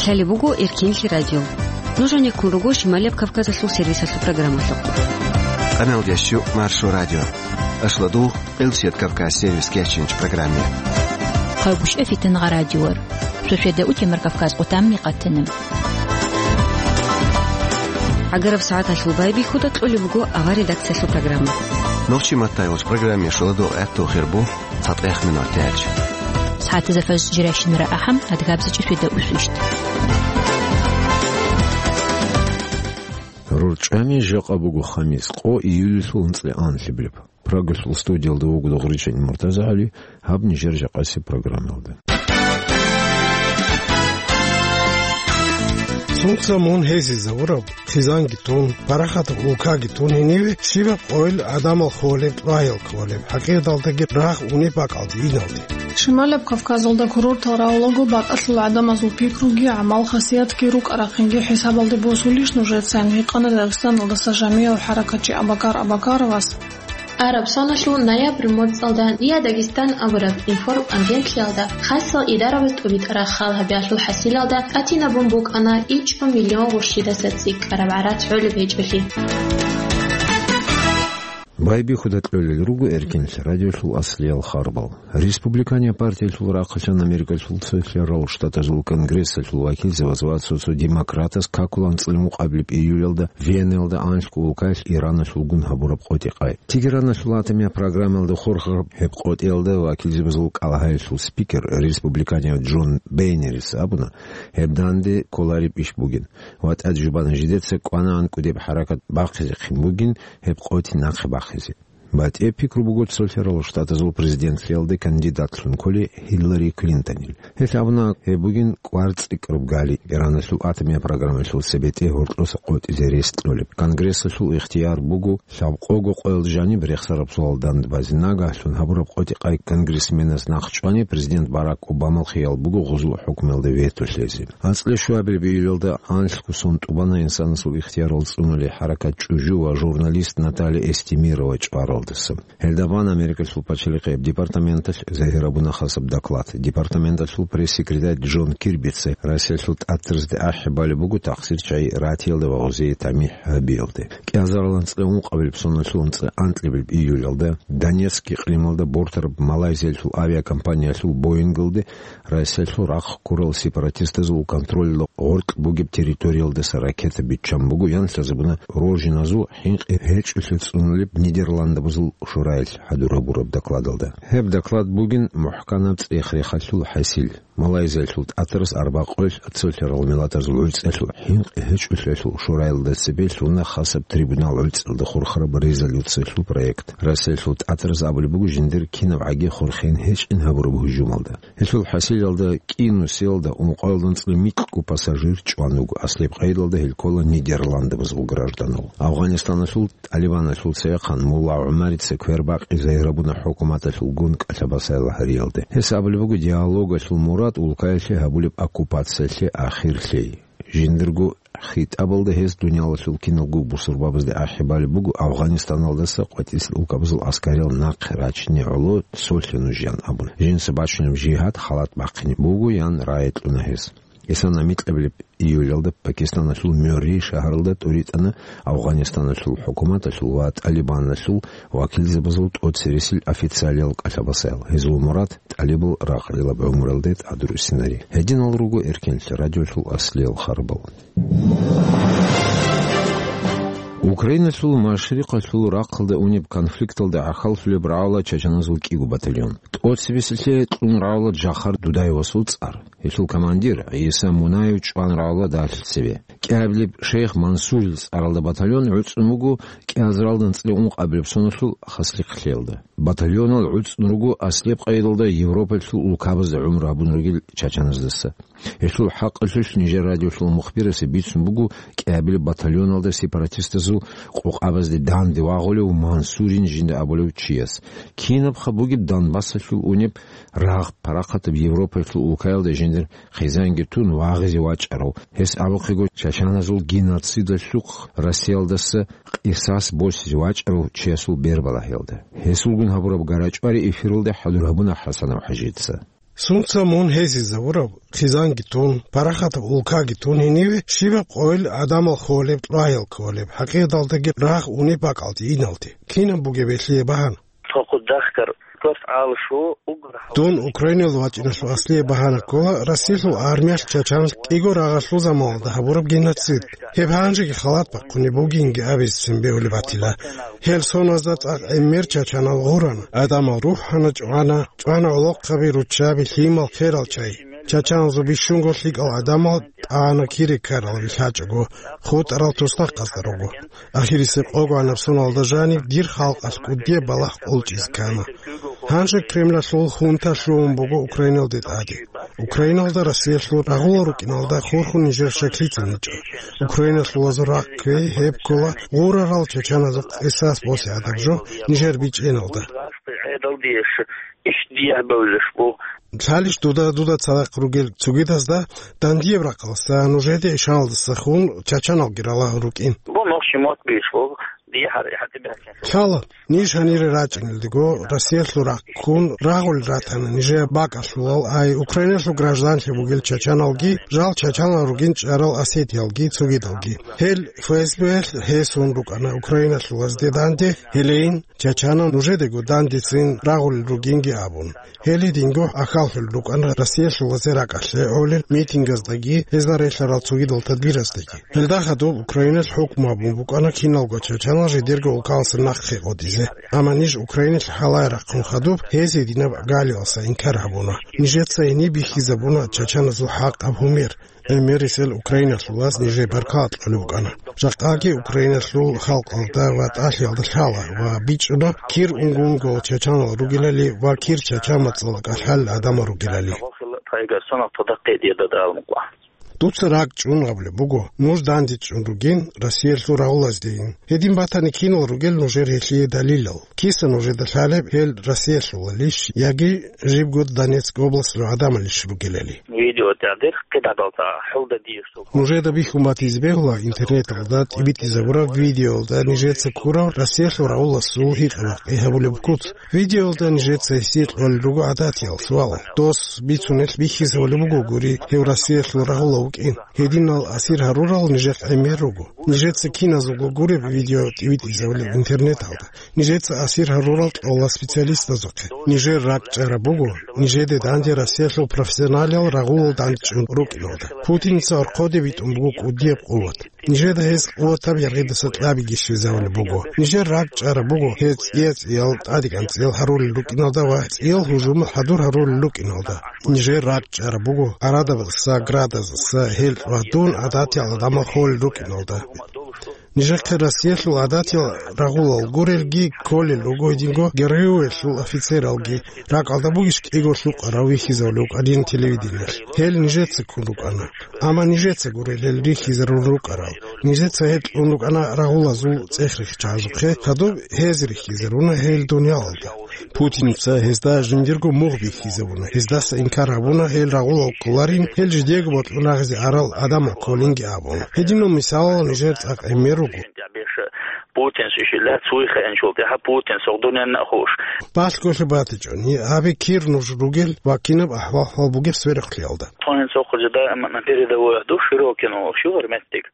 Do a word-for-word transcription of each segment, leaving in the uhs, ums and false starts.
Гьале буго Эркинлъи радио. Нуж гьанеккун руго Шималияб Кавказалъул сервисалъул программалъухъ. Къаналдящу Маршо радио. Ашладул, Къилсият Кавказ сервис кеченч программе. Хъайбушев Фитангъа радиор. Шошеда утемар Кавказ къутамни къатана. Агараб сагӀаталъул байбихьуда кьолеб буго авар редакциялъул программа. Нохчи маттайгъуч программе шуладул гӀехтул хирбу. ЦатӀех минут тяч. СагӀатазда фажр жирайщинара ахӀам, адгабзичӀи шведа усвищт. РорчӀами жакъа буго хамис, къо июльлъул анцӀила анлъабилеб. Прагалъул студиялда вуго Догъричани МуртазагӀали, гьаб нижер жакъасеб программалда. Сунца мун гьезизавураб, хъизанги тун, парахатаб улкаги тун гьениве щибаб къойил гӀадамал холеб, рагьил кколеб, хӀакъикъаталдаги рагъ унеб бакӀалде, иналде. Шималаб Кавказалда курортал равулаго бакӀалъул гӀадамазул пикруги, гӀамал-хасиятги, рукӀа-рахъинги хӀисабалде босулищ нужецан, гьикъана Дагъистаналдаса жамияв хӀаракатчи Абакар Абакаровас. Араб соналъул ноябрь моцӀалда Диа Дагестан абураб информагенталъиялда хасал идарабаз тӀубитӀараб хал гьабиялъул хӀасилалда тӀатинабун букӀана ичӀго миллион гъурщидаса цӀикӀкӀараб гӀарац гӀолеб гьечӀолъи. Байбихьуда кьолел руго Эркинлъи радиолъул аслиял харбал. Республиканияб партиялъул рахъалъан Америкалъул цолъарал штатазул Конгрессалъул вакилзабаз ва цо-цо демократаз какулан цӀилмукъаблеб июлялда Веналда анлъго улкаялъ Ираналъулгун гьабураб къотӀи-къай. Тегераналъул атомияб программаялда хурхараб гьеб къотӀиялда вакилзабазул кӀалагьаялъул спикер, республиканияв Джон Бейнерис абуна, гьеб данде кколареб иш бугин ва тӀаде жубана жидеца кӀванагӀан кӀудеб хӀаракат бахъизехъин бугин гьеб къотӀи нахъе бахъизе. БатӀияб пикру буго цолъарал штатазул президентлъиялде кандидатлъун кколей Хиллари Клинтонил. Гьелъ абуна гьеб бугин кӀварцӀикӀкӀраб гали Ираналъул атомияб программалъул цебетӀе гьоркьоса къотӀизе рес кьолеб. Конгрессалъул ихтияр буго лъабкъого къоялда жаниб рехсараб суал дандбазе. Нагагьлъун гьабураб къотӀи-къай конгрессменаз нахъ чӀвани, президент Барак Обамал хиял буго гъузул хӀукмуялда вето лъезе. АнцӀила щуабилеб июлалда анлъго сон тӀубана инсанасул ихтиярал цӀунулей хӀаракат чӀужу ва журналист Наталья Эстемирова чӀваралдаса. Гьелда бан Америкалъул пачалихъияб департаменталъ загьир гьабуна хасаб доклад. Департаменталъул пресс-секретарь Джон Кирбица Россиялъул тӀатразде ахӀи балеб буго тахсир чагӀи ратиялда ва гъозие тамихӀ гьабиялде. КӀиазарал анцӀила ункъабилеб соналъул анцӀила анкьабилеб июлалда Донецк икълималда бортараб Малайзиялъул авиакомпаниялъул Боингалде Россиялъул рахъ ккурал сепаратистазул контролалда гъоркь бугеб территориялдаса ракета биччан буго, ян лъазабуна Рожиназул хӀинкъи гьечӀолъи цӀунулеб Нидерландабазул шураялъ хӀадур гьабураб докладалда. Гьеб доклад бугин мухӀканаб цӀех-рехалъул хӀасил. Малайзиялъул тӀатарас арбакъоялъ цолъарал миллатазул гӀуцӀиялъул хӀинкъи гьечӀолъиялъул шураялда цебе лъуна хасаб трибунал гӀуцӀиялда хурхараб резолюциялъул проект. Россиялъул тӀатарас абулеб буго жиндир кинаб гӀаги хурхин гьечӀин гьабураб гьужумалда. Гьелъул хӀасилалда кӀинусиялда ункъоялда анцӀила микьго пассажир чӀван вуго, аслияб къайдалда гьел ккола Нидерландабазул гражданал. Афгъанистаналъул ТӀалибаналъул цевехъан Мулла ГӀумарица квербакъи загьир гьабуна хӀукуматалъулгун кӀалъабасайла гьариялде. Гьес абулеб буго диалогалъул мурад улкаялъе гьабулеб оккупациялъе ахир лъей. Жиндирго хитӀабалда гьес дуниялалъул киналго бусурбабазде ахӀи балеб буго Афгъанистаналдаса къватӀисел улкабазул аскариял нахъе рачине гӀоло цолъе нуж, ян абун. Жинца бачунеб жигьад халат бахъине буго, ян рагӀи кьуна гьес. Исана микьабилеб июлалда Пакистаналъул Мюррей шагьаралда тӀуритӀана Афгъанистаналъул хӀукуматалъул ва ТӀалибаналъул вакилзабазул тӀоцересел официалиял кӀалъабасаял. Гьезул мурад тӀалибал ракъалилаб гӀумралде тӀадруссинари. Гьединал руго Эркенлъи радиолъул аслиял харбал. Украиналъул машрикъалъул рахъалда унеб конфликталда гӀахьаллъулеб рагӀула чачаназул кӀиго батальон. ТӀоцебесилъе кьун рагӀула Жахар Дудаевасул цӀар. Гьелъул командир ГӀиса Мунаев чӀван рагӀула дагьлъи цеве. КӀиабилеб шейх Мансурил цӀаралда батальон гӀуцӀун вуго кӀиазаралда анцӀила ункъабилеб соналъул хаслихълъиялда. Батальонал гӀуцӀун руго аслияб къайдалда Европалъул улкабазда гӀумру гьабун ругел чачаназдаса. Гьелъул хӀакъалъулъ нижер радиолъул мухбирасе бицун буго кӀиабилеб батальоналда сепаратистазул къокъабазде данде вагъулев Мансурин жинда абулев чияс. Кинабха бугеб Донбассалъул унеб рагъ парахъатаб Европалъул улкаялда жиндир хъизанги тун вагъизе вачӀарав, гьес абухъего чачаназул геноцидалъухъ Россиялдаса къисас босизе вачӀарав чиясул бербалагьиялда. Гьесулгун гьабураб гарачӀвари эфиралда хӀадур гьабуна ХӀасанов ХӀажица. Сунца мун гьезизавураб, хъизанги тун, парахатаб улкаги тун гьениве щибаб къойил гӀадамал холеб, кьваял кколеб, хӀакъикъаталдаги рагъ унеб бакӀалде иналде. Кинаб бугеб гьелъие багьана? Цо хъудахъ ккар кварц гӀалашо угар гьав- Дун Украинал вачӀиналъул аслие багьана ккола Россиялъул армиялъ чачанлъ кӀиго рагъалъул заманалда гьабураб геноцид. Гьеб гьанжеги халат бахъунеб бугинги абизе цин бегьулеб батила. Гьел соназда цӀакъ гӀемер чачанал гъурана, гӀадамал рухӀана, чӀвана, чӀвана гӀолохъаби, руччаби, лъимал, херал чай. Чачаназул бищунго лъикӀал гӀадамал тӀана кире ккарал вилълъачӀого, хутӀарал туснахъазда руго. Ахирисеб къогоанаб соналда жаниб дир халкъалъ кӀудияб балагь къулчӀизе ккана. Гьанже Кремлалъул хунта лъугьун буго Украиналде тӀаде. Украиналда Россиялъул рагъулал рукӀиналда хурхун нижер щаклъицин гьечӀо. Украиналъулазул ракӀ кквей гьеб ккола гъурарал чачаназухъ къисас босе гӀадаб жо нижер бичӀчӀиналда. Лъалищ дуда, дуда цадахъ ругел цогидазда дандияб ракъалдаса, нужеде ишаналдаса хун чачаналги ралагьун рукӀин? Бо нохчи мот бишго, дие гьар-, гьатӀи бихьа. Лъала, ниж гьанире рачӀинелдего, Россиялъул ракӀ ккун рагъулел ратана нижее бакӀалъулал, ай, Украиналъул гражданлъи бугел чачаналги, жал чачанал ругин чӀарал осетиялги цогидалги. Гьел ФСБ-ялъ гьесун рукӀана украиналъулазде данде, гьелейин, чачанал нужедего дандецин рагъулел ругинги абун. Гьел гьединго ахьаллъулел рукӀана Россиялъулазе ракӀалъе гӀолел митингаздаги, гьезда релълъарал цогидал тадбираздаги. Гьелда хадуб Украиналъ хӀукму гьабун букӀана киналго чачанал жидерго улкаласа нахъе къотӀизе. Амма ниж Украиналъ хӀалае рахъун хадуб гьез гьединаб галиялдаса инкар гьабуна. Нижеца гьениб бихьизабуна чачаназул хӀакъаб гьумер. ГӀемерисел Украиналъулаз нижее баркала кьолеб букӀана. Жакъаги Украиналъул халкъалда ва тӀалъиялда лъала ва бичӀчӀуна кир унго-унгоял чачанал ругелали ва кир чача мацӀалда кӀалъалел гӀадамал ругелали. Дуца ракӀ чӀун абулеб буго, нуж дандечӀун ругин Россиялъул рагъулаздейин. Гьедин батани, кинал ругел нужер гьелъие далилал? Киса нужеда лъалеб, гьел Россиялъулалищ яги жибго Донецк областалъул гӀадамалищ ругелали? Видео тӀадехъ кидабалда хӀулда дие что. Нужеда бихьун батизе бегьула интернеталда тӀибитӀизабураб видеоялда нижеца ккураб Россиялъул рагъуласул гьикъа-бакъи гьабулеб куц. Видеоялда нижеца гьесие кьолел руго гӀадатиял суал. Дос бицунелъ бихьизабулеб буго гури, гьев Россиялъул рагъула вукӀин. Гьединал асир гьарурал нижехъ гӀемер руго. Нижеца киназулго гуреб видео тӀибитӀизабулеб интернеталда. Нижеца асир гьарурал кьола специалистазухъе. Нижер ракӀ чӀараб буго, нижеде данде Россиялъул профессионалал рагъулал дандчӀун рукӀиналда. Путинца орхъоде битӀун буго кӀудияб къуват. Нижеда гьез къуватаб яргъидаса кьабиги щвезавулеб буго. Нижер ракӀ чӀараб буго гьез цӀия-цӀиял, тӀадегӀан цӀиял гьарулел рукӀиналда ва цӀиял гьужумал хӀадур гьарулел рукӀиналда. Нижер ракӀ чӀараб буго гӀарадабазаса, градазаса, гьелкь ва дун гӀадатиял гӀадамал холел рукӀиналда. Нижехъе Россиялъул гӀадатиял рагъулал гурелги кколел руго гьединго ГРУ-ялъул офицералги, ракӀалда бугищ кӀиго лъукъарал вихьизавулев вукӀанин телевидениялъ. Гьел нижеца ккун рукӀана. Амма нижеца гурел гьел рихьизарун рукӀарал. Нижеца гьел кьун рукӀана рагъулазул цӀех-рихчазухъе, хадуб гьез рихьизаруна гьел дуниялалда. Путинца гьезда жиндирго мугъ бихьизабуна, гьездаса инкар гьабуна гьел рагъулал кколарин, гьел жидеего бокьун рагъизе арал гӀадамал кколинги абун. Гьединал мисалал нижер цӀакъ гӀемер руго. Путин шишила цуйха энчулти, гьа, Путин согъдунен нахуш. Балъголъи батичӀони, гьабе кир нуж ругел ва кинаб ахӀвал-хӀал бугеб сверухълъиялда. Тонин цохъо жедай амма на передовой аду Широкино, шугар меттик.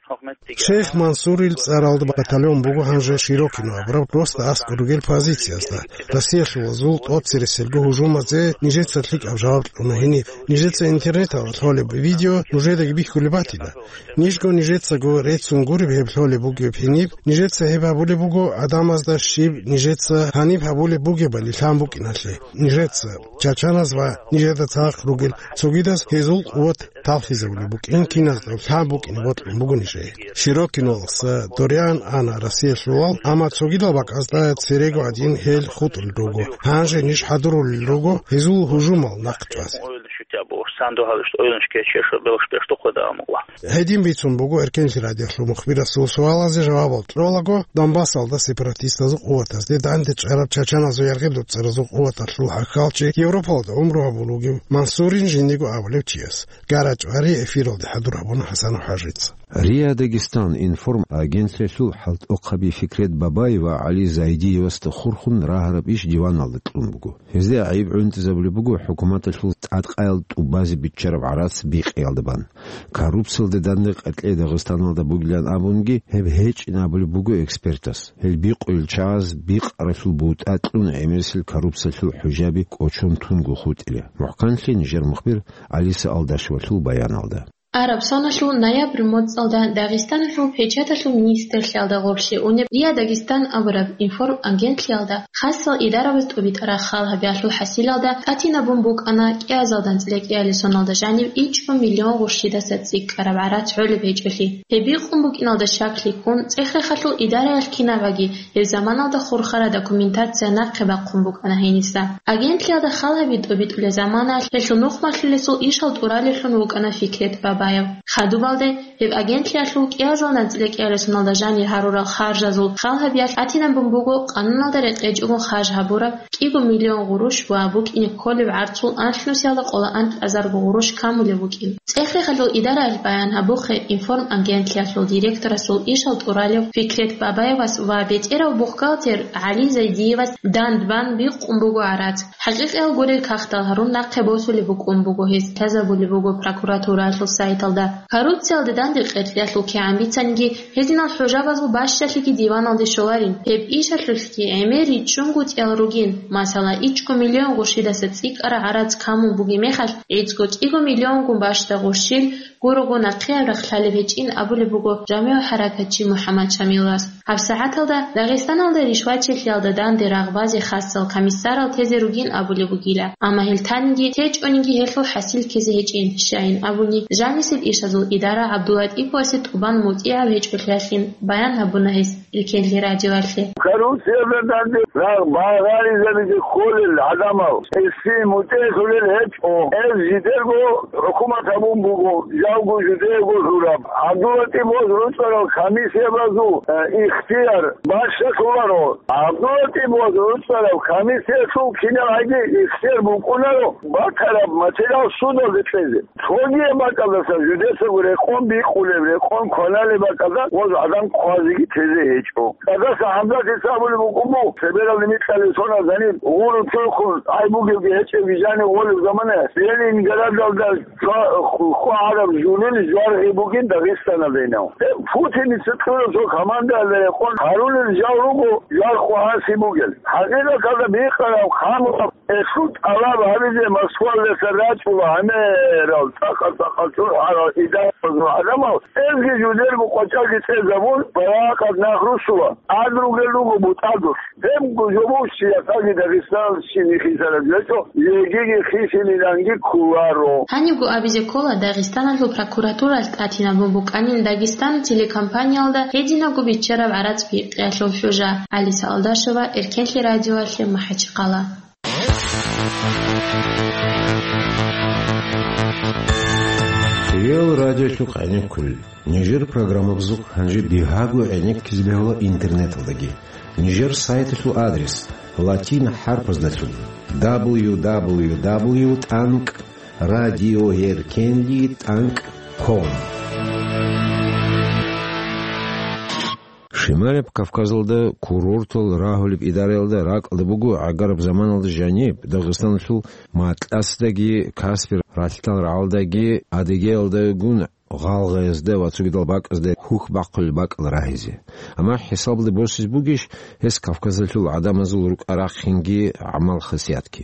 Шейх Мансурил цӀаралда батальон буго гьанже Широкино абураб, просто аскӀор ругел позициязда. Россиялъулазул тӀоцереселго гьужумазе нижеца лъикӀаб жаваб кьуна гьениб. Нижеца интернеталда лъолеб видео нужедаги бихьулеб батила. Нижго нижецаго реццун гуреб гьеб лъолеб бугеб гьениб. Нижеца гьеб гьабулеб буго гӀадамазда щиб нижеца гьаниб гьабулеб бугебали лъан букӀиналъе. Нижеца, чачаназ ва нижеда цадахъ ругел цогидаз гьезул къуват талхизабулеб букӀин, киназда лъан букӀине бокьун буго нижее. Широкиноласа доригӀан ана Россиялъулал, амма цогидал бакӀазда церего гӀадин гьел хутӀулел руго. Гьанже ниж хӀадурулел руго гьезул гьужумал нахъ чӀвазе. Гьедин бицун буго Эркенлъи радиоялъул мухбирасул суалазе жавабал кьолаго, Донбассалда сепаратистазул къуватазде данде чӀараб чачаназул яргъи-дуцӀаразул къуваталъул хӀахьалчи, Европалда гӀумру гьабун вугев Мансурин жиндиго абулев чияс. Гара чӀвари эфиралде хӀадур гьабуна ХӀасанов ХӀажица. РИА Дагестан информ агентлъиялъул хӀалтӀухъаби Фикрет Бабаев ва ГӀали Зайдиевасда хурхун рагьараб иш диваналда кьун буго. Гьезда гӀайиб гӀунтӀизабулеб буго хӀукуматалъул тӀадкъаял тӀубазе биччараб гӀарац бикъиялда бан. Коррупциялда данде къеркьей Дагъистаналда бугилан абунги, гьеб гьечӀин абулеб буго экспертас. Гьел бикъуйил чагӀаз бикъаралъул бутӀа кьун гӀемерисел коррупциялъул хӀужаби кӀочон тунго хутӀила. МухӀканлъи нижер мухбир Алиса Алдашевалъул баяналда. Араб соналъул ноябрь моцӀалда Дагъистаналъул печаталъул министрлъиялда гъорлъе унеб РИА Дагестан абураб информагентлъиялда хасал идарабаз тӀубитӀараб хал гьабиялъул хӀасилалда тӀатинабун букӀана кӀиазалда анцӀила кӀиабилеб соналда жанив ичӀго миллион гъурщидаса цӀикӀкӀараб гӀарац гӀолеб гьечӀолъи. Гьеб бикъун букӀиналда щаклъи ккун, ЦӀехрехалъул идараялъ кинабаги гьеб заманалда хурхараб документация нахъе бахъун букӀана гьениса. Агентлъиялда хал гьаби тӀубитӀулеб заманаялъ гьелъул нухмалъулесул ишал тӀуралевлъун вукӀана Фикрет Бабаев. Хадубалде гьеб агентлъиялъул кӀиазалда анцӀила кӀиабилеб соналда жанир гьарурал харжазул хал гьабиялъ тӀатинабун буго къануналда рекъечӀого харж гьабураб кӀиго миллион гъурущ ва букӀине кколеб гӀарцул анлънусиялда къоло анлъазарго гъурущ камулеб букӀин. ЦӀехрехалъул идараялъ баян гьабухъе информагентлъиялъул директорасул ишал тӀуралев Фикрет Бабаевас ва бетӀерав бухгалтер ГӀали Зайдиевас дандбан бикъун буго гӀарац. ХӀакъикъиял гурел кагътал гьарун нахъе босулеб букӀун буго гьез, лъазабулеб буго прокуратураялъул сайталда. Коррупциялда данде къеркьиялъул кигӀан бицаниги, гьединал хӀужабазул бащалъиги диваналде щоларин. Гьеб ишалъулъги гӀемер риччунго цӀиял ругин, масала, ичӀго миллион гъурщидаса цӀикӀкӀараб гӀарац камун бугеб мехалъ, гӀицӀго кӀиго миллионго бащда гъурщил гурого нахъе рахъ лъалеб гьечӀин абулеб буго жамигӀ хӀаракатчи МухӀаммад Шамилас. ГьабсагӀаталда Дагъистаналда ришвачилъиялда данде рагъбазе хасал комиссарал тезе ругин абулеб бугила, амма гьел таниги течӀониги гьелъул хӀасил ккезе гьечӀин, щайин абуни, жанисеб ишазул идара ГӀабдулатӀипасде тӀубан мутӀигӀаб гьечӀолъиялъин баян гьабуна гьес Эркенлъи радиоялъе. Коррупциялда данде рагъ багъаризабизе кколел гӀадамал гьесие мутӀигӀлъулел гьечӀо. Гьез жидерго хӀукумат гьабун буго, жалго жидеего жураб. ГӀабдулатӀипас ручӀарал комиссиябазул, э, ихтияр бащалъуларо. ГӀабдулатӀипас ручӀарал комиссиялъул кинаб гӀаги ихтияр букӀунаро батараб материал судалде кьезе. Цогияб бакӀалдаса жидецаго рекъон бикъулеб, рекъон кваналеб бакӀалда гъоз гӀадан хъвазеги тезе гьечӀо. Цадаса ГӀабдулатӀипас абулеб букӀун буго, цебералде микьалел соналъ гьаниб гъурун чурхун гӀай бугебги гьечӀебги жанив гъолеб заманаялъ, Ленинградалда жва-, ху-, ху гьараб жугьлуни жваргъи бугин Дагъистаналдайинав. Гьеб Путиница кьураб цо командаялда рекъон гьарулел жал руго, жваргъ хъвагьаси бугел. ХӀакъикъаталда бикъараб, хъамураб, гьелъул тӀалаб гьабизе Москвалдаса рачӀула гӀемерал, цӀакъа-цӀакъа чурхӀарал идарабазул гӀадамал, гьезги жудерго къвачӀалги цӀезабун, баракат нах русула, ад ругел руго бутӀадулъ. Гьебго жо буго, чиясаги Дагъистаналъ щиб бихьизараб гьечӀо, жегиги хисилиланги кколаро. Гьанибго абизе ккола Дагъистаналъул прокуратуралъ тӀатинабун букӀанин Дагестан телекомпаниялда гьединабго биччараб гӀарац бикъиялъул хӀужа. Алиса Алдашева, Эркенлъи радиоялъе, МахӀачхъала. Хириял радиолъухъ гӀенеккулел. Нижер программабазухъ гьанже бигьаго гӀенеккизе бегьула интернеталдаги. Нижер сайталъул адрес латин хӀарпаздалъун: дабл ю дабл ю дабл ю тӀанкӀ радиоэркенлъи тӀанкӀ ком. Шималаб Кавказалда курортал рагьулеб идараялда ракӀалда буго гӀагараб заманалда жаниб Дагъистаналъул Матласдаги, Каспи ралъдал рагӀалдаги, Адыгеялдагун гъалгъаязда ва цогидал бакӀазда хьухь бахъулел бакӀал рагьизе. Амма хӀисабалде босизе бугищ гьес Кавказалъул гӀадамазул рукӀа-рахъинги гӀамал-хасиятги?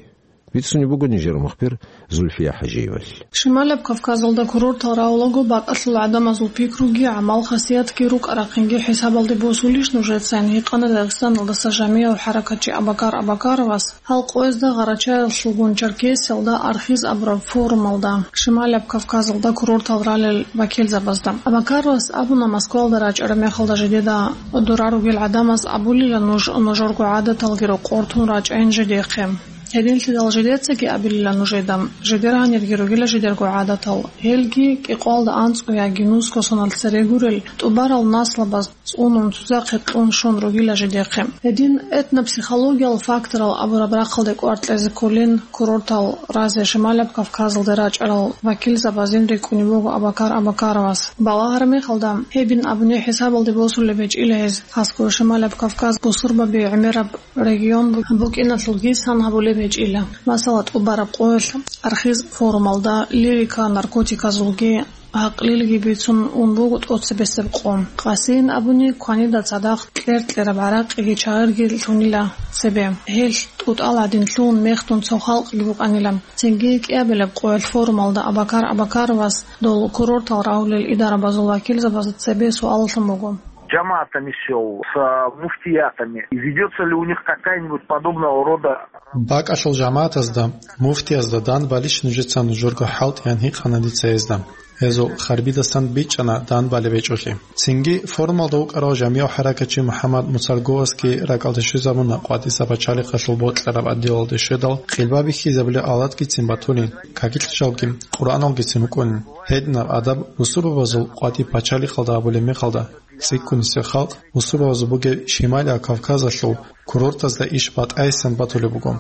Бицунеб буго нижер мухбир Зульфия ХӀажиевалъ. Шималаб Кавказалда курортал рагьулаго бакӀалъул гӀадамазул пикруги, гӀамал-хасиятги, рукӀа-рахъинги хӀисабалде босулищ нужецайин гьикъана Дагъистаналдаса жамигӀав хӀаракатчи Абакар Абакаровас гьал къоязда Гъарачаялъулгун Черкесиялда архиз абураб форумалда Шималаб Кавказалда курортал ралел вакилзабазда. Абакаровас абуна, Москвалда рачӀараб мехалда жидеда дора ругел гӀадамаз абулила нуж, нужерго гӀадаталги рокъор тун рачӀайин жидехъе. Гьединлъидал жидецаги абилила нужеда, жидер гьанирги ругила жидерго гӀадатал, гьелги кӀикъоялда анцӀго яги нусго соналъ цере гурел, тӀубарал наслабаз цӀунун, цузахъе кьун щун ругила жидехъе. Гьедин этнопсихологиял факторал абураб рахъалде кӀвар кьезе кколин, курортал разе Шималаб Кавказалде рачӀарал вакилзабазин рикӀкӀунеб буго Абакар Абакаровас. Балагьараб мехалда, гьебин абуни хӀисабалде босулеб гьечӀила гьез, хасго Шималаб Кавказ бусурбаби гӀемераб регион бу-, букӀиналъулги сан гьабулеб гьечӀила. Масала, тӀубараб къоялъ архиз форумалда лирика наркотиказулги гӀакълилги бицун ун буго тӀоцебесеб къо. Къасиин абуни, кванида цадахъ кьер-кьераб гӀаракъиги чагӀирги лъунила цебе. Гьелъ тӀутӀал гӀадин лъугьун мехдун цо халкъги букӀанила. Цинги кӀиабилеб къоялъ форумалда Абакар Абакаровас дол курортал рагьулел идарабазул вакилзабазда цебе суаллъун буго. Джаматами сел, с, а, муфтиятами. И ведётся ли у них какая-нибудь подобного рода? БакӀалъул жамагӀатазда, муфтиязда данбалищ нужеца нужерго хӀалтӀиян гьикъана дица гьезда. Гьезул харбидасан бичӀчӀана данбалеб гьечӀолъи. Цинги форумалда вукӀарав жамигӀав хӀаракатчи МухӀаммад Муцалговасги ракӀалде щвезабуна къватӀиса пачалихъалъул бокьараб отделалде щведал, къилба бихьизабулел алатгицин батулин, какилъ жалги, Къуръаналгицин вукӀунин. Гьединаб адаб бусурбабазул къватӀи пачалихъалда гьабулеб мехалда, цӀикӀкӀунисеб халкъ бусурбабазул бугеб Шималияб Кавказалъул курортазда иш батӀайсан батулеб буго.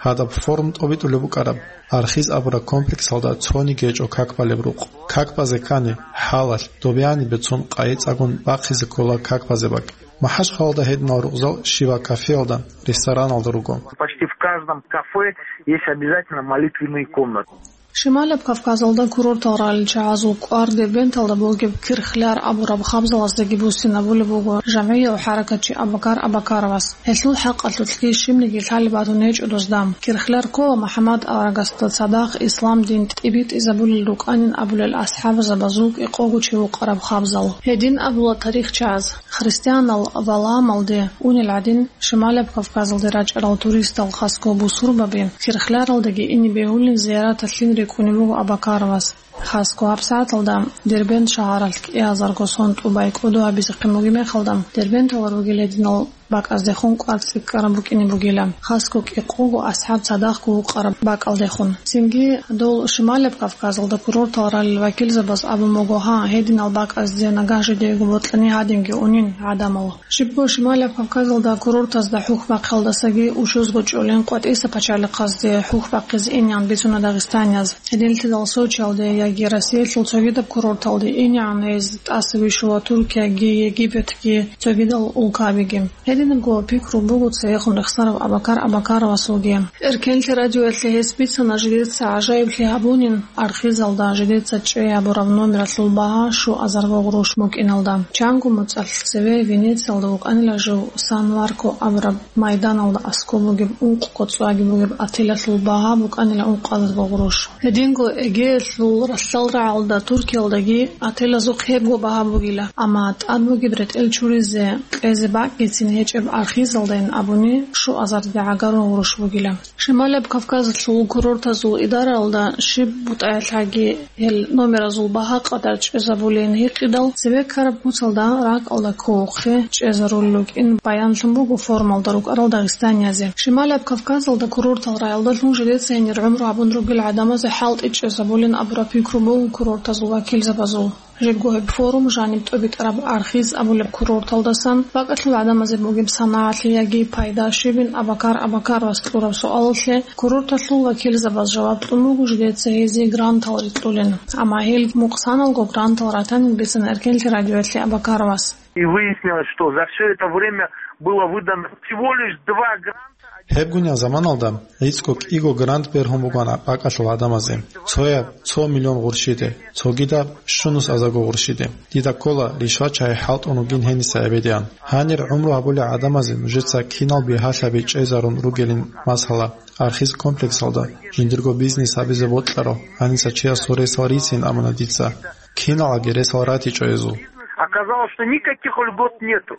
Гьадаб форум тӀобитӀулеб букӀараб архиз абураб комплексалда цониги гьечӀо как балеб рукъ. Как базе ккани, хӀалалъ, добеянибе цун къайи цӀагун бахъизе ккола как базе бакӀ. МахӀачхъалалда гьединал рукъзал щибаб кафеялда, рестораналда руго. Почти в каждом кафе есть обязательно молитвенные комнаты. Шималаб Кавказалда курортал ралел чагӀазул кӀвар Дербенталда бугеб Кирхляр абураб хабзалаздаги буссинабулеб буго жамгӀияв хӀаракатчи Абакар Абакаровас. Гьелъул хӀакъалъулъги щибниги лъалеб батун гьечӀо дозда. Кирхляр ккола МухӀаммад аварагасда цадахъ ислам дин тӀибитӀизабулел рукӀанин абулел асхӀабзабазул кӀикъого чи вукъараб хабзал. Гьедин абула тарихчияз. Христианал валамалде унел гӀадин, Шималаб Кавказалде рачӀарал туристал хасго бусурбаби Кирхляралдаги ине бегьулин зияраталъин рикӀкӀунеб буго Абакаровас. Хасго гьабсагӀаталда Дербент шагьаралъ кӀиазарго сон тӀубай кӀодо гьабизехъин бугеб мехалда, Дербенталда ругел гьединал бакӀаздехун кӀвар цӀикӀкӀараб букӀине бугила. Хасго кӀикъого асхӀаб цадахъго вукъараб бакӀалдехун. Цинги дол Шималаб Кавказалда курортал ралел вакилзабаз абун буго, гьа, гьединал бакӀазде нагагь жидеего бокьани гьадинги унин гӀадамал. Щибго Шималаб Кавказалда курортазда хӀухь бахъиялдасаги учузго чӀолин къватӀиса пачалихъазде хӀухь бахъизе инеян бицуна дагъистанияз. Гьединлъидал Сочиялде яги Россиялъул цогидаб курорталде инеян гьез тӀаса вищула Туркияги, Египетги, цогидал улкабиги. Гьединабго пикру буго цевехун рехсарав Абакар Абакаровасулги. Эркенлъи радиоялъе гьес бицана жидеца гӀажаиблъи гьабунин архизалда жидеца чӀей гьабураб номералъул багьа щуазарго гъурущ букӀиналда. Чанго моцӀалъ цеве Венециялда вукӀанила жив Сан-Марко абураб майданалда аскӀоб бугеб ункъго цӀваги бугеб отелалъул багьа букӀанила ункъазарго гъурущ. Гьединго Эгеялъул ралъдалрагӀалда Туркиялдаги отелазухъ гьебго багьа бугила, амма тӀад бугеб ретӀел чуризе кьезе бакӀгицин гьечӀеб архизалдайин абуни щуазарде гӀагарун гъурущ бугила. Шималаб Кавказалъул курортазул идараялда щиб бутӀаялъаги гьел номеразул багьа къадар чӀезабулин гьикъидал, цебе ккараб куцалда ракӀалда кколухъе чӀезарулел рукӀин баянлъун буго форумалда рукӀарал дагъистаниязе. Шималаб Кавказалда курортал рагӀалдалъун жидеца гьенир гӀумру гьабун ругел гӀадамазе хӀалтӀи чӀезабулин абураб пикру буго курортазул вакилзабазул. Жибго гьеб форум жаниб тӀобитӀараб архиз абулеб курорталдасан бакӀалъул гӀадамазе бугеб санагӀалъи яги пайда щибин Абакар Абакаровас кьураб суалалъе курорталъул вакилзабаз жаваб кьун буго жидеца гьезие грантал рикьулин. Амма гьел мукъсаналго грантал ратанин бицана Эркенлъи радиоялъе Абакаровас. И выяснилось, что за всё это время было выдано всего лишь два гранта. Гьебгунеб заманалда гӀицӀго кӀиго грант бергьун бугоан бакӀалъул гӀадамазе, цояб цо миллион гъурщиде, цогидаб щунус азарго гъурщиде. Дида ккола, ришвачагьи хӀалтӀун ругин гьениса гӀебедиан. Гьанир гӀумру гьабулел гӀадамазе нужеца кинал бигьалъаби чӀезарун ругелин, масала, архиз комплексалда жиндирго бизнес гьабизе бокьарал, гьаниса чиясул ресал рицин абуна дица. Киналги ресал ратичӀо гьезул. Оказалось, что никаких льгот нету.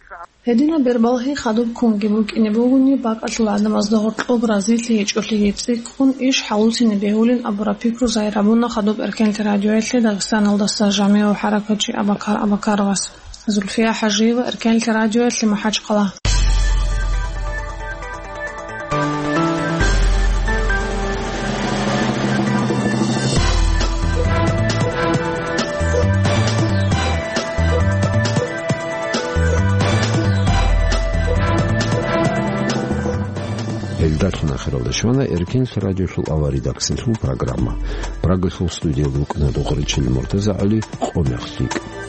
Гьединаб бербалъи хадуб ккунги букӀине бугони, бакӀалъул гӀадамазда гьоркьоб разилъи гьечӀолъиги цӀикӀкӀун иш хӀалуцине бегьулин абураб пикру загьир гьабуна хадуб Эркенлъи радиоялъе Дагъистаналдаса жамигӀав хӀаракатчи Абакар Абакаровас. Зульфия ХӀажиева, Эркенлъи радиоялъе, МахӀачхъала. Ахиралда щвана Эркенлъ радиолъул авария редакциялъул программа. Прагалъул студиялда вукӀана Духъричил Муртаза ГӀали, къо мех лъикӀ.